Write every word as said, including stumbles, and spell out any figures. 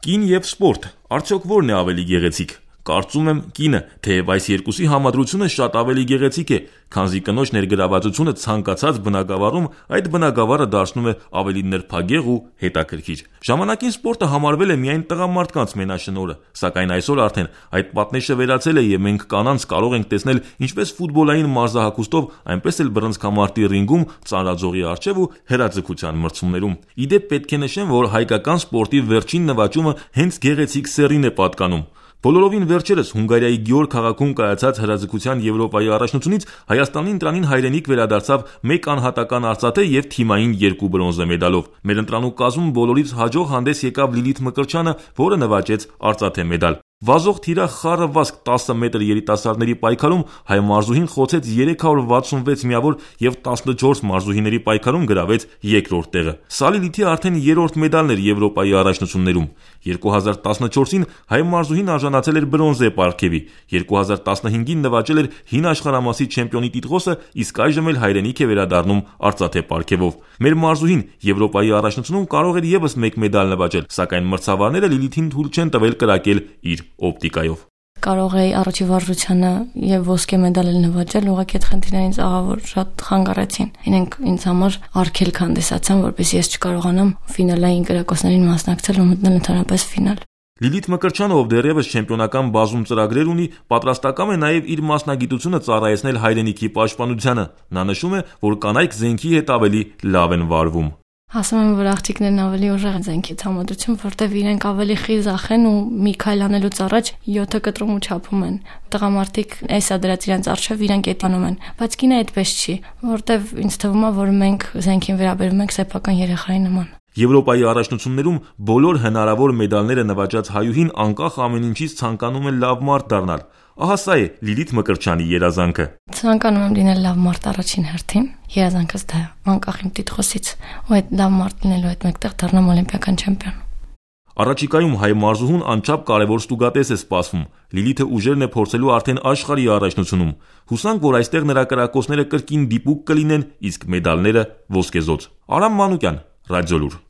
Կին եւ սպորտ, արդյոք որն է ավելի գեղեցիկ։ Կարծում եմ կինը, թեև այս երկուսի համադրությունը շատ ավելի գեղեցիկ է, քանզի կնոջ ներգրավվածությունը ցանկացած բնագավառում այդ բնագավառը դարձնում է ավելի նրբագեղ ու հետաքրքիր։ Ժամանակին սպորտը համարվել է միայն տղամարդկանց մենաշնորհը, սակայն այսօր արդեն այդ պատնեշը վերացել է եւ մենք կանանց կարող ենք տեսնել ինչպես ֆուտբոլային մարզահագուստով, այնպես էլ բռնցքամարտի ռինգում, ծանրաձողի առջև ու հեռաձգության մրցումներում։ Իդեպ պետք է նշեմ, որ հայկական սպորտի վերջին նվաճումը հենց գեղեցիկ սեռին է պատկանում։ Բոլորովին վերջերս Հունգարիայի Գյոր քաղաքում կայացած հրաձգության Եվրոպայի առաջնությունից Հայաստանի ընտրանին հայրենիք վերադարձավ մեկ անհատական արծաթե եւ թիմային երկու բրոնզե մեդալով։ Մեր ընտրանու կազմում բոլորից հաջող հանդես եկավ Լիլիթ Մկրտչյանը, որը նվաճեց արծաթե մեդալ։ Վազող թիրախ խառը վազք տասը մետր երիտասարդների պայքարում հայ մարզուհին խոցեց երեք հարյուր վաթսունվեց միավոր եւ տասնչորս մարզուհիների պայքարում գրավեց երկրորդ տեղը։ Սա Լիլիթի արդեն երրորդ մեդալն էր Եվրոպայի առաջնություններում։ երկու հազար տասնչորսին հայ մարզուհին արժանացել էր բրոնզե պարգևի, երկու հազար տասնհինգին նվաճել էր հին աշխարհամասի չեմպիոնի տիտղոսը, իսկ այժմ էլ հայրենիք է վերադառնում արծաթե պարգևով։ Մեր մարզուհին Եվրոպայի առաջնությունում կարող էր եւս մեկ մեդալ նվաճել, սակայն մրցավարները Լիլիթին թույլ չեն տվել կրակել իր օպտիկայով։ Կարող էի առաջի վարժությանը եւ ոսկե մեդալ նվաճել, ուղղակի այդ խնդիրները ինձ աղավոր շատ խանգարեցին։ Իրենք ինձ համար արգելք հանդիսացան, որպեսզի ես չկարողանամ ֆինալային կրակոցներին մասնակցել ու մտնել ընդհանրապես ֆինալ։ Լիլիթ Մկրտչյանը, ով դեռևս չեմպիոնական բազում ծրագրեր ունի, պատրաստական է նաև իր մասնագիտությունը ծառայեցնել հայրենիքի պաշտպանությանը։ Նա նշում է, որ կանայք զենքի հետ ավելի լավ են վարվում։ Ասում եմ, որ աղջիկներն ավելի ուժեղ են զենքից համադրություն, որտեվ իրենք ավելի խիզախ են ու մի քայլ անելուց առաջ յոթը կտրում ու չափում են։ Տղամարդիկ էսա դրած իրենց արժև իրենք էտանում են, բայց կինը այդպես չի, որտեվ ինձ թվում է, որ մենք զենքին վերաբերում ենք սեփական երեխայի նման։ Եվրոպայի առաջնություններում բոլոր հնարավոր մեդալները նվաճած հայուհին անկախ ամեն ինչից ցանկանում է լավ մարդ դառնալ։ Ահա սա է Լիլիթ Մկրտչյանի երազանքը։ Ցանկանում եմ լինել լավ մարդ առաջին հերթին, երազանքս դա է, անկախ իմ տիտղոսից, ու այդ լավ մարդ լինելու հետ մեկտեղ դառնամ օլիմպիական չեմպիոն։ Առաջիկայում հայ մարզուհուն անչափ կարևոր ստուգատես է սպասվում։ Լիլիթը ուժերն է փորձելու արդեն աշխարհի առաջնությունում։ Հուսանք, որ այստեղ նրա կրակոցները կրկին դիպուկ կլինեն, իսկ մեդալները ոսկեզոծ։ Արամ Մանուկյան, Ռադիոլուր։